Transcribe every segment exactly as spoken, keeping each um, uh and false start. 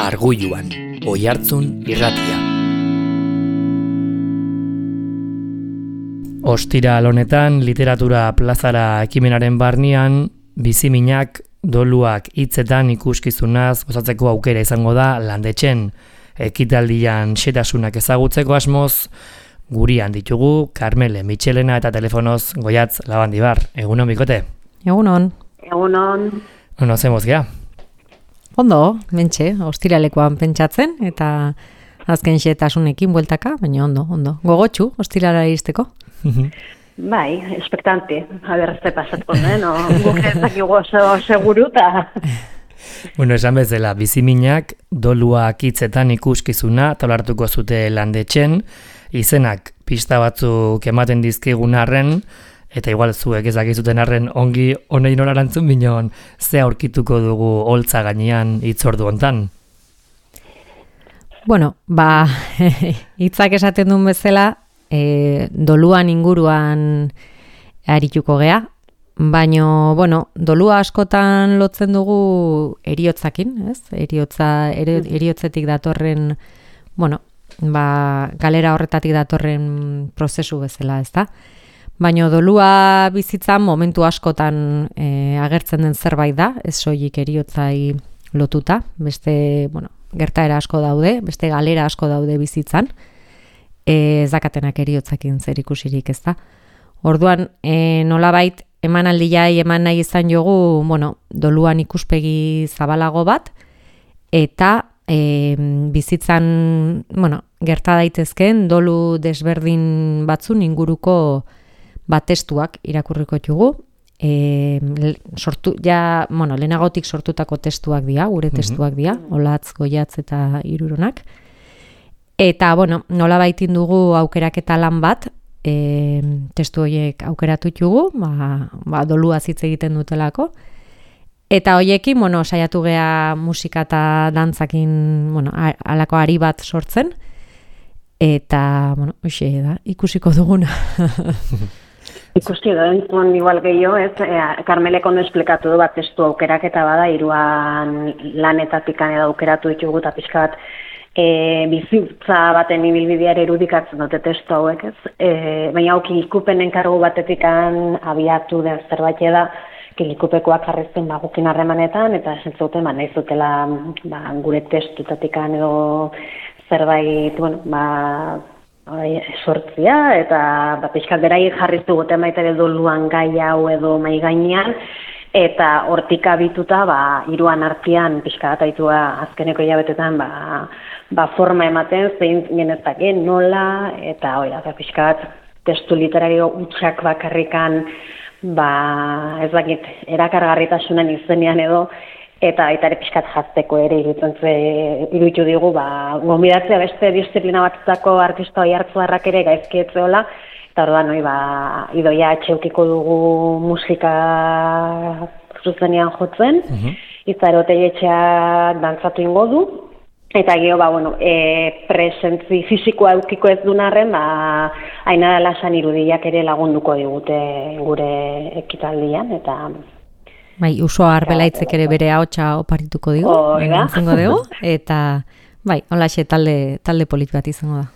Arguluan, Oihartzun irratia. Ostiral honetan literatura plazara ekimenaren barnean biziminak, doluak hitzetan ikuskizunaz gozatzeko aukera izango da Landetxen. Ekitaldian xetasunak ezagutzeko asmoz, gurian ditugu Karmele Mitxelena eta telefonoz Goiatz Labandibar. Egunon, bikote? Egunon. Egunon. Ono, zemoz gea? Ondo, mentxe, ostiralekoan pentsatzen, eta azken xetasunekin bueltaka, baina ondo, ondo. Gogotxu, ostirala iristeko? Bai, espektante. A ber, ze pasatko, eh? No, guk ez dakigu oso seguru, eta... Bueno, esan bezala, biziminak, doluak hitzetan ikuskizuna, taulartuko zute Landetxen, izenak pista batzuk ematen dizkigun arren, eta igual zuek ezakizuten arren ongi honein horarantzun binon, ze aurkituko dugu holtza gainean hitzordu hontan? Bueno, ba, hitzak esaten duen bezala, e, doluan inguruan arituko gea, baino, bueno, dolua askotan lotzen dugu eriotzakin, ez? Eriotza, eri, eriotzetik datorren, bueno, ba, galera horretatik datorren prozesu bezala, ez da? Baina dolua bizitzan momentu askotan e, agertzen den zerbait da, ez soilik eriotzai lotuta, beste, bueno, gertaera asko daude, beste galera asko daude bizitzan, e, ez dakatenak eriotzakin zer ikusirik, ez da. Orduan, e, nolabait emanaldiai eman nahi izan jogu, bueno, doluan ikuspegi zabalago bat, eta e, bizitzan, bueno, gerta daitezkeen dolu desberdin batzun inguruko bat testuak irakurriko ditugu. E, sortu, ja, bueno, lehenagotik sortutako testuak dira, gure testuak dira, Olatz, Goiatz eta Iruronak. Eta, bueno, nola baitin dugu aukeraketa lan bat, e, testu horiek aukeratu ditugu, ba, ba, dolua hitz egiten dutelako. Eta hoiekin, bueno, saiatu gea musika eta dantzakin, bueno, halako ari bat sortzen. Eta, bueno, hoxe da, ikusiko duguna. Ikusti da, entzun igual gehiago, ez, e, Karmelek ondo esplikatu du bat testu aukeraketa bada, hiruan lanetatik edo aukeratu ditugu eta pixka bat e, bizitza baten ibilbidear erudikatzen dute testu hauek, ez? E, baina hau kilikupenen kargu batetik abiatu den zerbait da, kilikupekoak jarrizten ba, gukin harremanetan, eta esentzuten, ba, nahi zutela ba, gure testutatik edo zerbait, bueno, ba, sortzia, eta ba, pixkat berai jarriztu goten baita doluan gai hau edo mai gainean, eta hortik abituta, ba, hiruan artean pixka bat aitua azkeneko hilabetetan, ba, ba, forma ematen, zein genezakeen, nola, eta oira, pixka bat testu literario utxak bakarrikan, ba, ez dakit, erakargarritasunen izenean edo, eta baita ere pixkat jazteko ere iruditu digu, ba, gonbidatzea beste disiplina batzutako artista oihartzuarrak ere gaizkietzeola, eta orduan, noi, ba, idoia atxeukiko dugu musika zuzenean jotzen, uh-huh. Izaro Otegitxeak dantzatu ingo du, eta gero, ba, bueno, e, presentzi fisikoa eukiko ez dunarren, ba, Ainara Lasan irudiak ere lagunduko digute gure ekitaldian, eta... Bai, Uso Arbelaitzek ere bere ahotsa oparituko digu, izango dugu, eta bai, holaxe talde, talde polit bat izango da.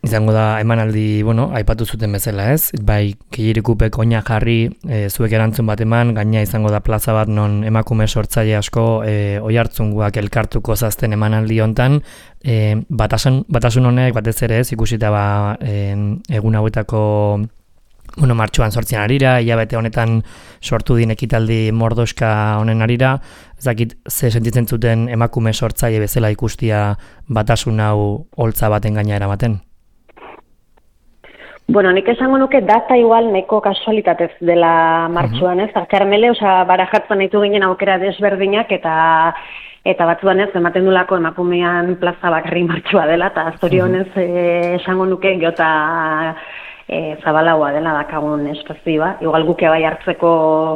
Izango da emanaldi, bueno, aipatu zuten bezala, ez? Bai, Killirikupek oina jarri, e, zuek erantzun bat eman, gaina izango da plaza bat non emakume sortzaile asko e, oihartzunguak elkartuko zazten emanaldi hontan, e, batasun, batasun honek batez ere ez, ikusita ba, e, egun hauetako bueno, martxoan sortzian arira, hilabete honetan sortu din ekitaldi mordoska honen arira, ez dakit ze sentitzen zuten emakume sortzaile bezala ikustia batasun hau holtza baten gaina eramaten? Bueno, nik esango nuke data igual neko kasualitatez dela martxoan, ez? Uh-huh. Karmele, oza, barajatzen ditu ginen aukera desberdinak, eta eta batzuan ez, ematen dulako emakumean plaza bakarri martxoa dela, eta zorionez uh-huh. eh, esango nuke geota E, zabalagoa dela dakagun espazioa. Igual guke bai hartzeko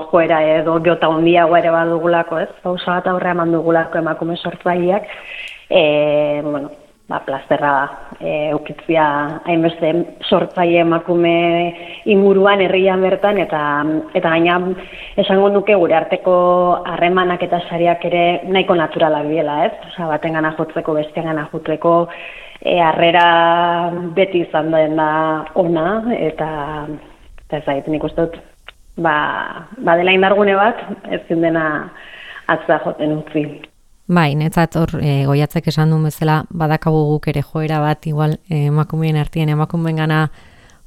joera edo geota hundiagoa ere badugulako, ez? Pausa bat aurrea eman dugulako emakume sortzaileak. E, bueno, ba, plazerra e, ukitzia hainbeste sortzaile emakume inguruan herrian bertan, eta eta gaina esango nuke gure arteko harremanak eta sariak ere nahiko naturalak diela, ez? Osea, batengana jotzeko, besteengana jotzeko, e, harrera beti izan da ona, eta eta ez zait, nik uste dut, ba, badela indargune bat, ezin dena atza joten utzi. Bai, netzat hor e, Goiatzek esan duen bezala badakagu guk ere joera bat igual e, emakumeen artien emakumeen gana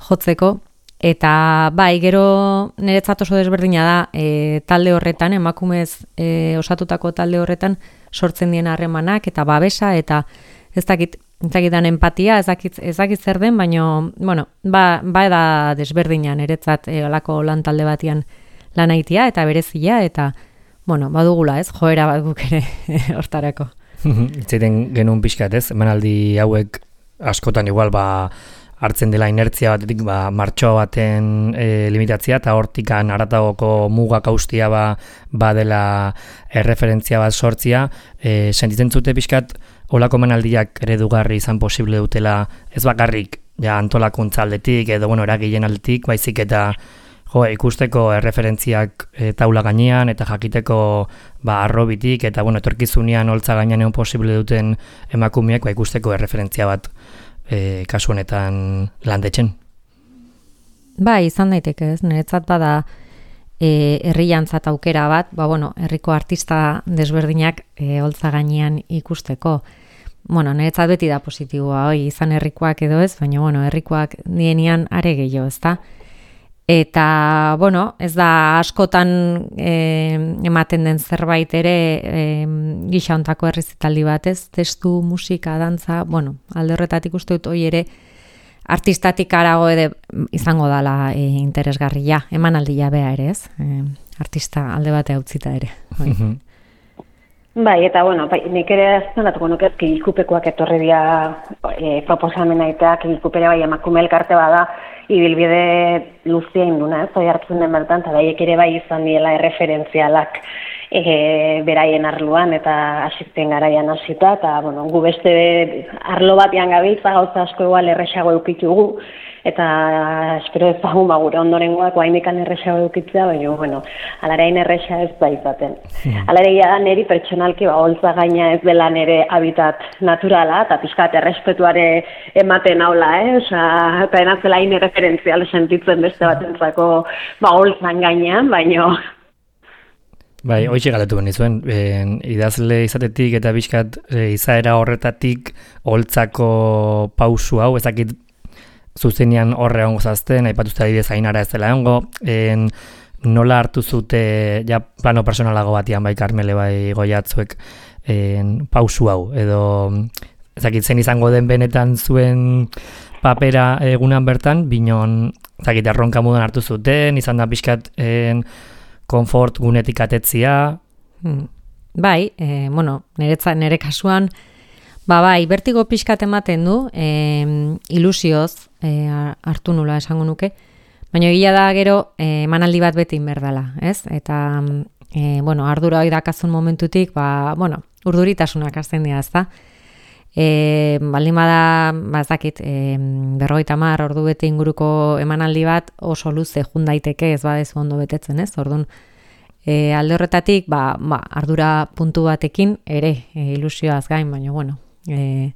jotzeko, eta bai, gero niretzat oso desberdina da e, talde horretan, emakumez e, osatutako talde horretan sortzen dien harremanak eta babesa, eta ez dakit, ez dakitan empatia, ez dakit, ez dakit zer den, baina, bueno, ba, ba da desberdina niretzat e, alako lan talde batian lan aitia eta berezia, eta bueno, badugula, ez, joera bat guk ere hortarako. Itzaiten genuen pixkat, ez, emanaldi hauek askotan igual ba hartzen dela inertzia batetik ba martxoa baten e, limitatzia, eta hortikan haratagoko mugak austia ba, ba dela erreferentzia bat sortzia, e, sentitzen zute pixkat olako emanaldiak eredugarri izan posible dutela, ez bakarrik ja antolakuntza aldetik edo bueno, eragileen aldetik, baizik eta jo, ikusteko erreferentziak e, taula gainean eta jakiteko ba arrobitik eta bueno, etorkizunean holtza gainean egon posible duten emakumeak ba ikusteko erreferentzia bat e, kasu honetan landetzen. Bai, izan daiteke, ez, niretzat bada e, herriantzat aukera bat, ba bueno, herriko artista desberdinak e, holtza gainean ikusteko. Bueno, niretzat beti da positiboa, hoi, izan herrikoak edo ez, baina bueno, herrikoak dienean are gehiago, ezta? Eta, bueno, ez da askotan e, ematen den zerbait ere e, gisa hontako errezitaldi bat, ez? Testu, musika, dantza, bueno, alde horretatik uste dut hoi ere artistatik arago ere izango dala e, interesgarria, emanaldia bea ere, ez? E, artista alde batea utzita ere. Bai. Bai, eta bueno, bai, nik ere aztenatuko nuke Kigikupekoak etorri dira e, proposamena eta Kigikupere bai emakume elkarte bada, ibilbide luzia induna, ez, oi hartzen den bertan, eta baiek ere bai izan diela erreferentzialak e, beraien arloan eta asisten garaian hasita, eta bueno, gu beste arlo batean gabiltza, gauza asko igual erresago eukitugu, eta espero ezagun ba gure ondorengoak oraindikan erresago eukitzea, baina bueno, alarain erresa ez da izaten. Alareia da neri pertsonalki ba holtza gaina ez dela nere habitat naturala, eta pixkat errespetuare ematen haula, eh? Osea, eta enatzela hain erreferentzial sentitzen beste batentzako ba holtzan gainean, baina Bai, hoxe galetu benizuen, ben, idazle izatetik eta pixkat e, izaera horretatik holtzako pausu hau, ezakit zuzenean horre ongo zazten, aipatuzte adibidez ainara ez dela ongo, en, nola hartu zute, ja plano personalago batian bai Karmele bai Goiatzuek en, pausu hau, edo ezakit zen izango den benetan zuen papera egunan bertan, binon ezakit erronka mudan hartu zuten, izan da pixkat en, konfort gunetik atetzia. Hmm. Bai, e, bueno, niretza, nire kasuan, ba bai, bertigo pixkat ematen du, e, ilusioz e, hartu nula esango nuke, baina egia da gero e, emanaldi bat beti inberdala, ez? Eta, e, bueno, ardura hori dakazun momentutik, ba, bueno, urduritasunak hasten dira, ez da? E, baldin bada, ba, ez dakit, e, berrogeita hamar ordu bete inguruko emanaldi bat oso luze jun daiteke, ez badezu ondo betetzen, ez? Orduan, e, alde horretatik, ba, ba, ardura puntu batekin ere e, ilusioaz gain, baina, bueno, e,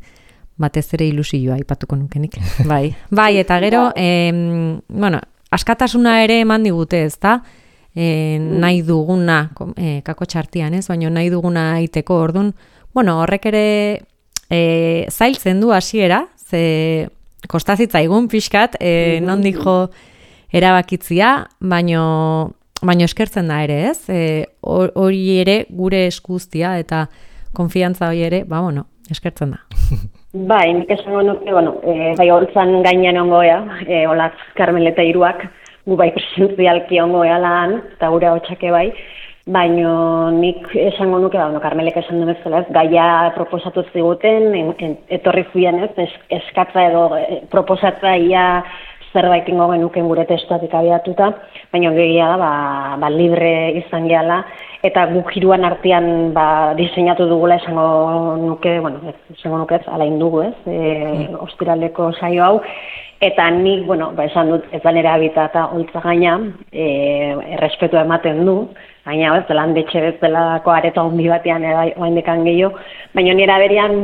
batez ere ilusioa aipatuko nukenik. Bai, bai, eta gero, e, bueno, askatasuna ere eman digute, ez da? E, nahi duguna, e, kako txartian, ez? Baina nahi duguna aiteko, orduan, bueno, horrek ere E, zailtzen du hasiera, ze kostazitzaigun pixkat, e, nondik jo erabakitzia, baino, baino eskertzen da ere, ez? E, hori ere gure eskuztia eta konfiantza hori ere, ba, bueno, eskertzen da. Bai, nik esango nuke, bueno, e, bai holtzan gainean ongoea, e, Olatz Karmel eta hiruak, gu bai presentzialki ongoea lan, eta gure hotxake bai, baina nik esango nuke, ba, bueno, Karmelek esan duen bezala, ez, gaia proposatu ziguten, en, en, etorri zuien, ez, es, eskatza edo e, proposatza ia zerbait ingo genuken gure testuatik abiatuta, baina gehiago da, ba, ba, libre izan gehala, eta guk hiruan artean ba, diseinatu dugula esango nuke, bueno, ez, esango nuke ez, alain dugu ez, e, ostiraleko saio hau, eta nik, bueno, ba, esan dut, ez da nire habitata holtza gaina, e, errespetua ematen du, baina ez, landetxe bezalako areta handi batean oaindekan gehiago, baina nire berian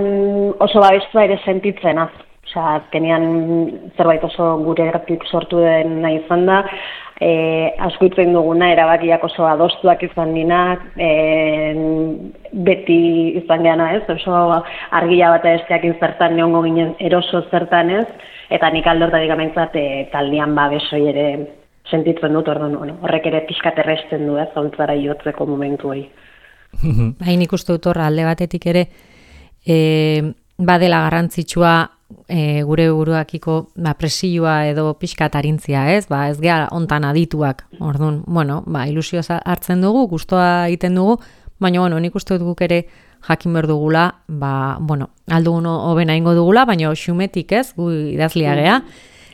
oso babestua ere sentitzen, az. Osea, azkenean zerbait oso gure eratik sortu den nahi izan da, e, asko itzen duguna, erabakiak oso adostuak izan dinak, e, beti izan geana ez, oso argia bat esteak zertan neongo ginen eroso zertan ez, eta nik aldortatik amentzat e, taldean babesoi ere sentitzen dut, orduan, bueno, horrek ere pixkat erresten du ez, holtzara jotzeko momentu hori. Bai, nik uste dut horra alde batetik ere, e, badela garrantzitsua, E, gure buruakiko ba, presioa edo pixkat arintzia, ez? Ba, ez geha ontan adituak. Orduan, bueno, ba, ilusioa hartzen dugu, gustoa egiten dugu, baina, bueno, nik uste dut guk ere jakin behar dugula, ba, bueno, aldugun hobena ingo dugula, baina xumetik, ez? Gu idazlia gea.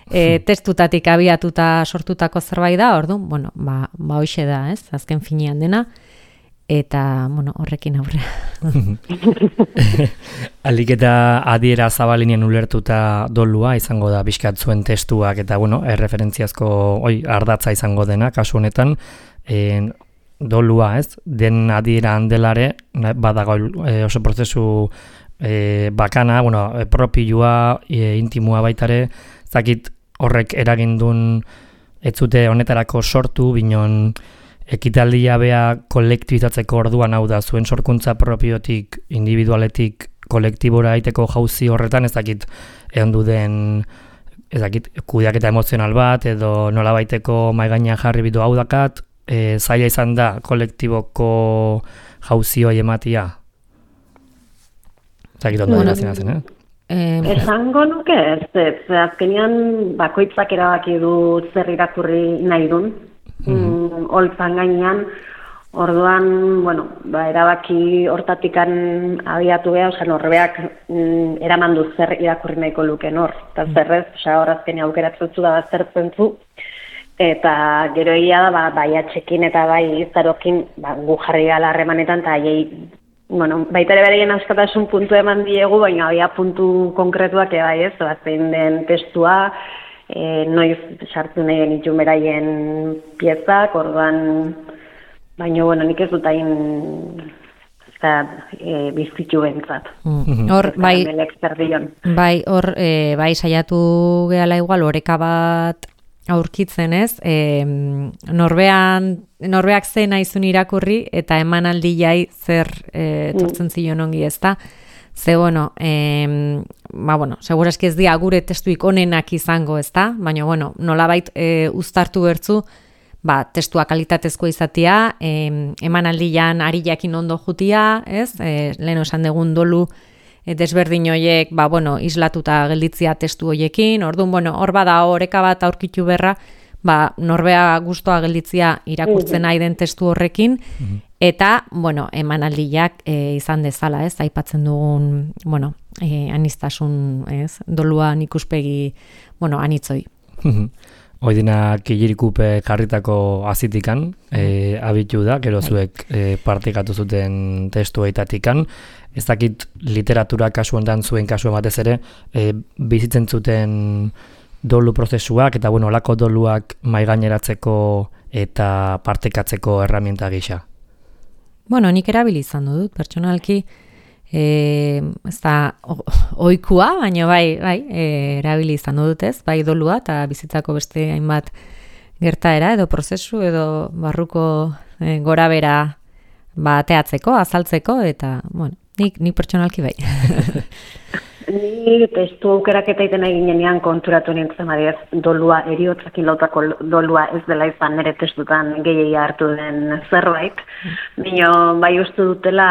E, testutatik abiatuta sortutako zerbait da, orduan, bueno, ba, ba hoxe da, ez? Azken finean dena. Eta, bueno, horrekin aurrea. Alik eta adiera zabalinien ulertuta dolua izango da bizkat zuen testuak eta, bueno, erreferentziazko oi, ardatza izango dena, kasu honetan, e, dolua, ez? Den adiera handelare, badago e, oso prozesu e, bakana, bueno, propioa, e, intimua baitare, zakit horrek eragindun ez zute honetarako sortu, binon, ekitaldia bea kolektibizatzeko orduan hau da, zuen sorkuntza propiotik, individualetik, kolektibora aiteko jauzi horretan, ez dakit egon den, ez dakit, kudeaketa emozional bat, edo nola baiteko maigaina jarri bidu hau dakat, e, zaila izan da kolektiboko jauzi hori ematia. Ez dakit ondo dena zina zen, eh? Eh, Esango nuke ez, ez, azkenean bakoitzak erabaki du zer irakurri nahi dun, Mm, holtzan gainean, orduan, bueno, ba, erabaki hortatikan abiatu beha, oza, norbeak mm, eraman du zer irakurri nahiko luken hor, eta zerrez, oza, horazkeni aukeratzen zu da baztertzen zu, eta gero egia da, ba, bai atxekin eta bai izarokin, ba, gu jarri gala harremanetan, eta aiei, bueno, baita ere bereien askatasun puntu eman diegu, baina aia puntu konkretuak ebai ez, batzen den testua, E, noiz sartu nahi genitun beraien piezak, orduan, baina, bueno, nik ez dut hain e, biztitu bentzat. Mm. Hor, bai, bai, hor, e, bai, saiatu gehala igual, oreka bat aurkitzen ez, e, norbean, norbeak zen aizun irakurri, eta emanaldi jai zer e, tortzen zion ongi ez da. Ze, bueno, eh, ba, bueno, segurazki ez dira gure testuik onenak izango, ez da? Baina, bueno, nolabait e, uztartu bertzu, ba, testua kalitatezko izatea, e, emanaldian ari jakin ondo jutia, ez? E, lehen esan dugun dolu e, desberdin hoiek, ba, bueno, islatuta gelditzia testu hoiekin, orduan, bueno, hor bada oreka bat aurkitu berra, ba, norbea gustoa gelditzia irakurtzen nahi den testu horrekin, eta, bueno, emanaldiak e, izan dezala, ez, aipatzen dugun, bueno, e, anistasun, ez, doluan ikuspegi, bueno, anitzoi. Oidina Kilirikupe jarritako azitikan, e, abitu da, gero zuek e, partikatu zuten testu eitatikan, ez dakit literatura kasu ondan zuen kasu ematez ere, e, bizitzen zuten dolu prozesuak, eta, bueno, olako doluak maigaineratzeko eta partekatzeko erramienta gisa. Bueno, nik erabili izan dut, pertsonalki, e, ez da ohikoa, baina bai, bai e, erabili izan dut ez, bai dolua eta bizitzako beste hainbat gertaera edo prozesu edo barruko e, gora bera bateatzeko, azaltzeko, eta, bueno, nik, nik pertsonalki bai. Ni testu aukeraketa iten egin genean konturatu nintzen adiez, dolua, eriotzakin lautako dolua ez dela izan nire testutan gehiagia hartu den zerbait. Bino, bai uste dutela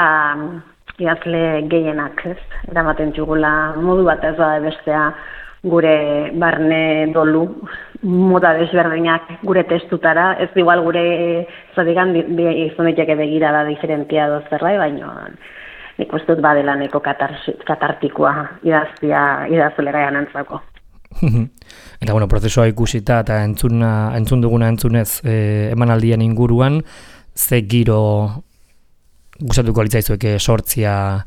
idazle gehienak, ez? Eramaten txugula modu bat ez da bestea gure barne dolu, moda desberdinak gure testutara, ez igual gure zadigan izan diteke begira da diferentia dozerrai, baina nik uste dut badelaneko katartikoa idaztia idazulera ganantzako. Eta, bueno, prozesua ikusita eta entzuna, entzun duguna entzunez e, emanaldien inguruan, ze giro gustatuko litzaizueke sortzia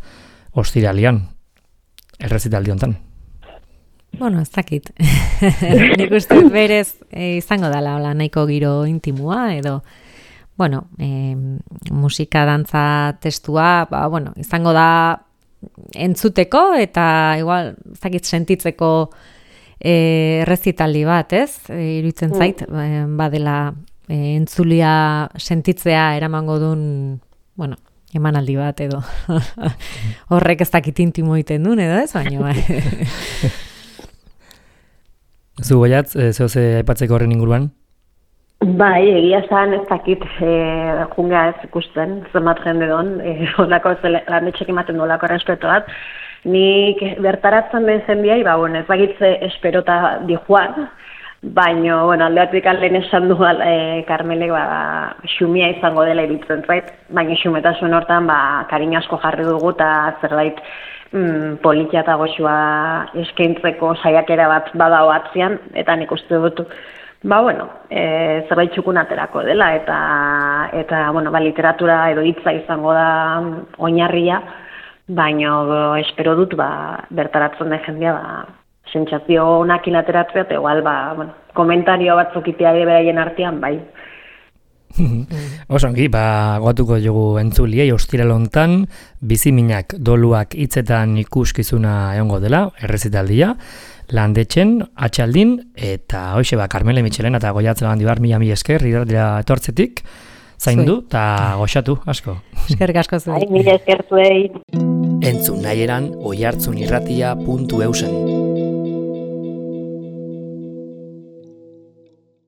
ostiralian, errezitaldi hontan? Bueno, ez dakit. Nik uste berez e, izango dela hola, nahiko giro intimua edo bueno, e, musika, dantza, testua, ba, bueno, izango da entzuteko eta igual, ez dakit sentitzeko e, errezitaldi bat, ez? E, iruditzen zait, e, badela e, entzulia sentitzea eramango duen, bueno, emanaldi bat edo horrek ez dakit intimo egiten duen edo ez, baina bai. Zu goiatz, e, zeo ze aipatzeko horren inguruan? Bai, egia zan ez dakit e, jungea ez ikusten, zenbat jende don, e, olako landetxek ematen du olako respeto bat. Nik bertaratzen den zendiai, ba, bueno, ez dakitze esperota di joan, baina, bueno, aldeatik alden esan du e, Karmelek, ba, xumia izango dela iruditzen zait, baina xumetasun hortan, ba, kariño asko jarri dugu eta zerbait mm, politia eta goxua eskaintzeko saiakera bat badao atzian, eta nik uste dut, ba, bueno, e, zerbait txukun aterako dela, eta, eta bueno, ba, literatura edo hitza izango da oinarria, baina espero dut, ba, bertaratzen den jendea, ba, sentsazio onakin ateratzea, eta igual, ba, bueno, komentario batzuk itea beraien artean, bai. Osongi, ba, goatuko dugu entzuliei ostiral hontan, biziminak doluak hitzetan ikuskizuna egongo dela, errezitaldia, Landetxen, atxaldin, eta hoxe ba, Karmele Mitxelena eta Goiatzela Handibar mila mila esker, irratera etortzetik, zaindu eta goxatu, asko. Eskerrik asko zuei. Mila esker zuei. Entzun nahi eran oihartzunirratia puntu eusen.